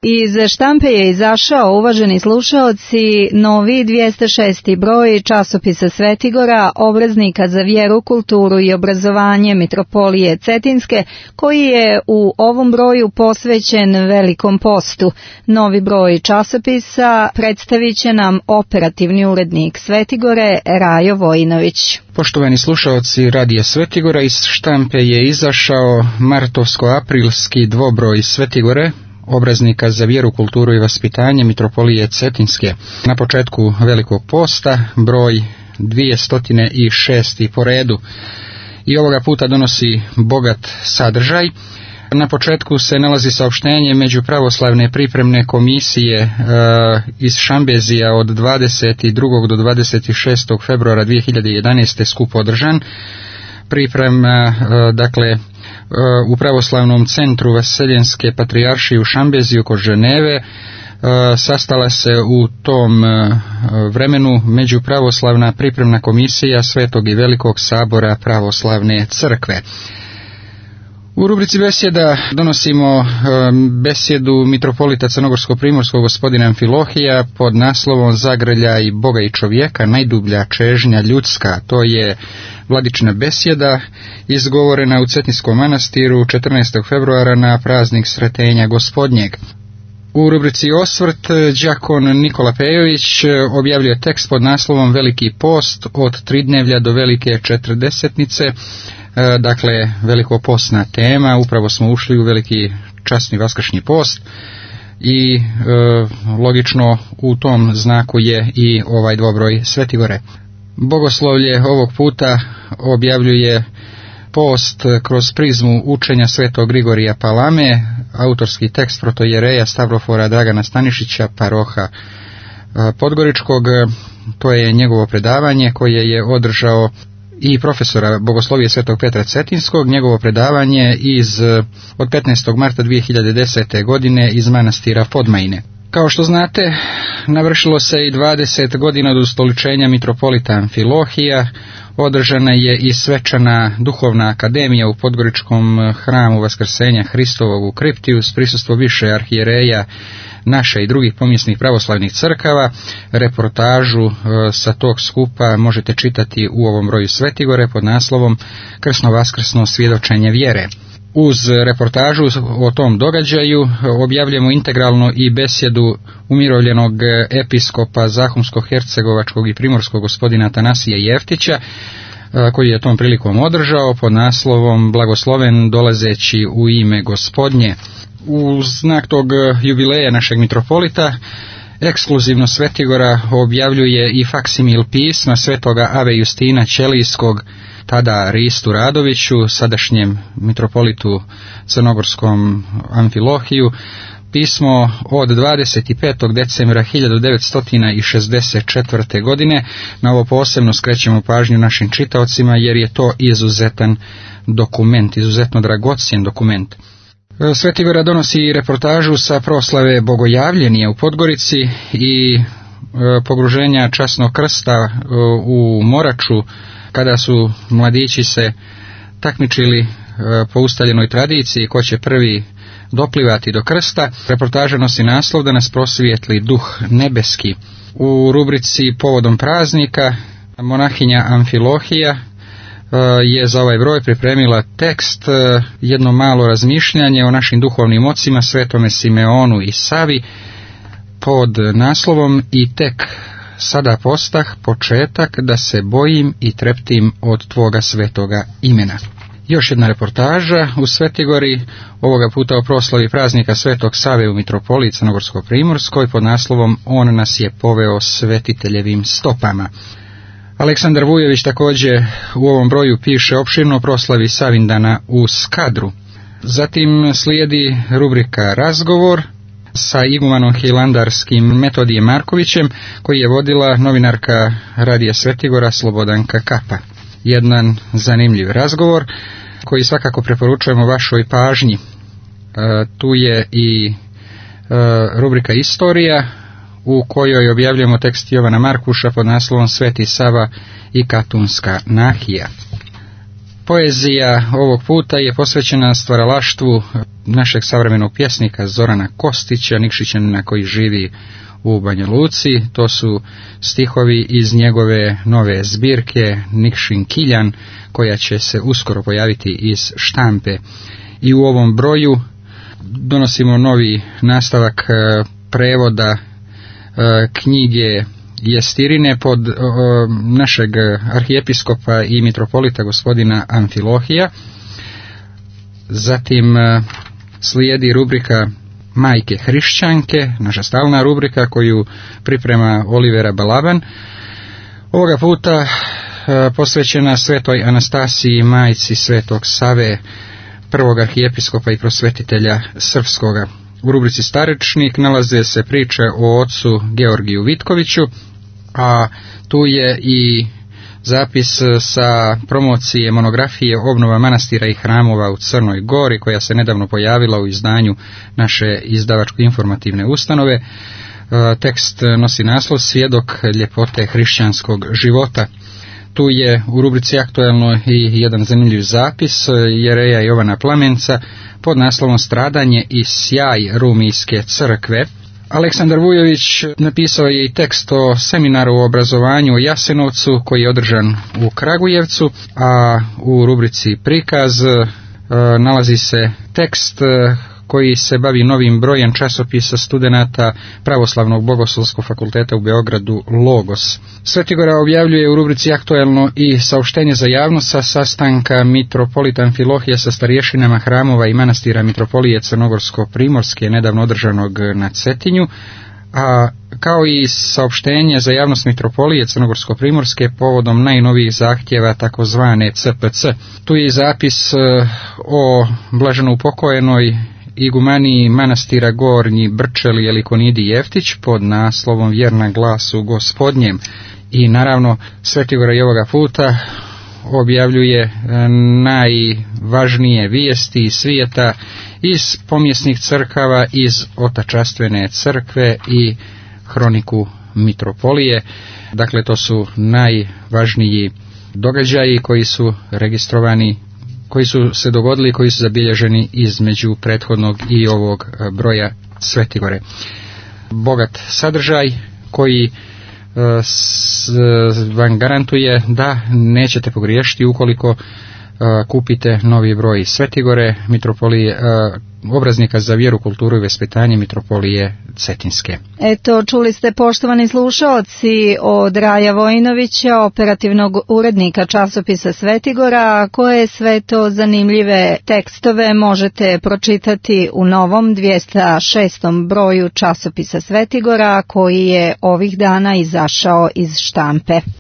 Iz štampe je izašao, uvaženi slušaoci, novi 206. broj časopisa Svetigora, obraznika za vjeru, kulturu i obrazovanje Mitropolije Cetinske, koji je u ovom broju posvećen Velikom postu. Novi broj časopisa predstavit će nam operativni urednik Svetigore, Rajo Vojinović. Poštovani slušaoci Radija Svetigora, iz štampe je izašao martovsko-aprilski dvobroj Svetigore, obraznika za vjeru, kulturu i vaspitanje Mitropolije Cetinske. Na početku Velikog posta, broj 206. po redu. I ovoga puta donosi bogat sadržaj. Na početku se nalazi saopštenje Međupravoslavne pripremne komisije iz Šambezija od 22. do 26. februara 2011. skup održan. Priprema, u Pravoslavnom centru Vaseljenske patrijaršije u Šambeziju kod Ženeve. Sastala se u tom vremenu Međupravoslavna pripremna komisija Svetog i Velikog sabora Pravoslavne crkve. U rubrici besjeda donosimo besjedu mitropolita Crnogorsko-primorskog gospodina Amfilohija pod naslovom Zagrlja i Boga i čovjeka, najdublja čežnja ljudska. To je vladična besjeda izgovorena u Cetinskom manastiru 14. februara na praznik Sretenja Gospodnjeg. U rubrici Osvrt đakon Nikola Pejović objavljuje tekst pod naslovom Veliki post od Tridnevlja do Velike Četrdesetnice. Dakle, velikopostna tema, upravo smo ušli u veliki časni vaskršnji post i logično u tom znaku je i ovaj dvobroj Svetigore. Bogoslovlje ovog puta objavljuje post kroz prizmu učenja Svetog Grigorija Palame, autorski tekst protojereja Stavrofora Dragana Stanišića, paroha Podgoričkog. To je njegovo predavanje koje je održao i profesora bogoslovije Svetog Petra Cetinskog, njegovo predavanje od 15. marta 2010. godine iz manastira Podmajine. Kao što znate, navršilo se i 20 godina od ustoličenja mitropolita Amfilohija, održana je i svečana duhovna akademija u Podgoričkom hramu Vaskrsenja Hristovog u kripti uz prisustvo više arhijereja naše i drugih pomjesnih pravoslavnih crkava. Reportažu sa tog skupa možete čitati u ovom broju Svetigore pod naslovom Krsno-vaskrsno svjedočenje vjere. Uz reportažu o tom događaju objavljamo integralno i besjedu umirovljenog episkopa Zahumsko-hercegovačkog i primorskog gospodina Atanasija Jeftića, koji je tom prilikom održao pod naslovom Blagosloven dolazeći u ime Gospodnje. U znak tog jubileja našeg mitropolita ekskluzivno Svetigora objavljuje i faksimil pisma svetoga Ave Justina Ćelijskog, tada Ristu Radoviću, sadašnjem mitropolitu crnogorskom Amfilohiju, pismo od 25. decembra 1964. godine. Na ovo posebno skrećemo pažnju našim čitaocima jer je to izuzetan dokument, izuzetno dragocjen dokument. Svetigora donosi reportažu sa proslave Bogojavljenija u Podgorici i pogruženja časnog krsta u Moraču, kada su mladići se takmičili po ustaljenoj tradiciji ko će prvi doplivati do krsta. Reportaža nosi naslov Da nas prosvijetli duh nebeski. U rubrici Povodom praznika monahinja Amfilohija je za ovaj broj pripremila tekst, jedno malo razmišljanje o našim duhovnim ocima Svetome Simeonu i Savi pod naslovom I tek sada postah početak da se bojim i treptim od Tvoga svetoga imena. Još jedna reportaža u Svetigori, ovoga puta o proslavi praznika Svetog Save u Mitropoliji Crnogorsko-primorskoj pod naslovom On nas je poveo svetiteljevim stopama. Aleksandar Vujović također u ovom broju piše opširno o proslavi Savindana u Skadru. Zatim slijedi rubrika Razgovor sa igumanom hilandarskim Metodijem Markovićem, koji je vodila novinarka Radija Svetigora Slobodanka Kapa. Jedan zanimljiv razgovor koji svakako preporučujemo vašoj pažnji. Tu je i rubrika Istorija, u kojoj objavljujemo tekst Jovana Markuša pod naslovom Sveti Sava i Katunska nahija. Poezija ovog puta je posvećena stvaralaštvu našeg savremenog pjesnika Zorana Kostića, Nikšićanina koji živi u Banja Luci. To su stihovi iz njegove nove zbirke Nikšin Kiljan, koja će se uskoro pojaviti iz štampe. I u ovom broju donosimo novi nastavak prevoda knjige Jestirine pod našeg arhijepiskopa i mitropolita gospodina Amfilohija. Zatim slijedi rubrika Majke hrišćanke, naša stalna rubrika koju priprema Olivera Balaban. Ovoga puta posvećena svetoj Anastasiji, majci svetog Save, prvog arhijepiskopa i prosvetitelja srpskoga. U rubrici Starečnik nalaze se priče o ocu Georgiju Vitkoviću, a tu je i zapis sa promocije monografije Obnova manastira i hramova u Crnoj Gori, koja se nedavno pojavila u izdanju naše izdavačko-informativne ustanove. Tekst nosi naslov Svjedok ljepote hrišćanskog života. Tu je u rubrici Aktuelno i jedan zanimljiv zapis jereja Jovana Plamenca pod naslovom Stradanje i sjaj Rumijske crkve. Aleksandar Vujović napisao je i tekst o seminaru o obrazovanju u Jasenovcu koji je održan u Kragujevcu, a u rubrici Prikaz nalazi se tekst koji se bavi novim brojem časopisa studenata Pravoslavnog bogoslovskog fakulteta u Beogradu Logos. Svetigora objavljuje u rubrici Aktuelno i saopštenje za javnost sa sastanka mitropolita Amfilohija sa starješinama hramova i manastira mitropolije Crnogorsko-Primorske nedavno održanog na Cetinju, a kao i saopštenje za javnost mitropolije Crnogorsko-Primorske povodom najnovijih zahtjeva takozvane CPC. Tu je i zapis o blaženo upokojenoj igumaniji manastira Gornji Brčeli Elikonidi Jeftić pod naslovom Vjerna glasu Gospodnjem. I naravno Svetigora i ovoga puta objavljuje najvažnije vijesti iz svijeta iz pomjesnih crkava, iz Otačastvene crkve i Hroniku mitropolije. Dakle, to su najvažniji događaji koji su registrovani, koji su se dogodili, koji su zabilježeni između prethodnog i ovog broja Svetigore. Bogat sadržaj koji vam garantuje da nećete pogriješiti ukoliko kupite novi broj Svetigore, mitropolije, obraznika za vjeru, kulturu i vaspitanje mitropolije Cetinske. Eto, čuli ste, poštovani slušaoci, od Raja Vojinovića, operativnog urednika časopisa Svetigora, koje sve to zanimljive tekstove možete pročitati u novom 206. broju časopisa Svetigora, koji je ovih dana izašao iz štampe.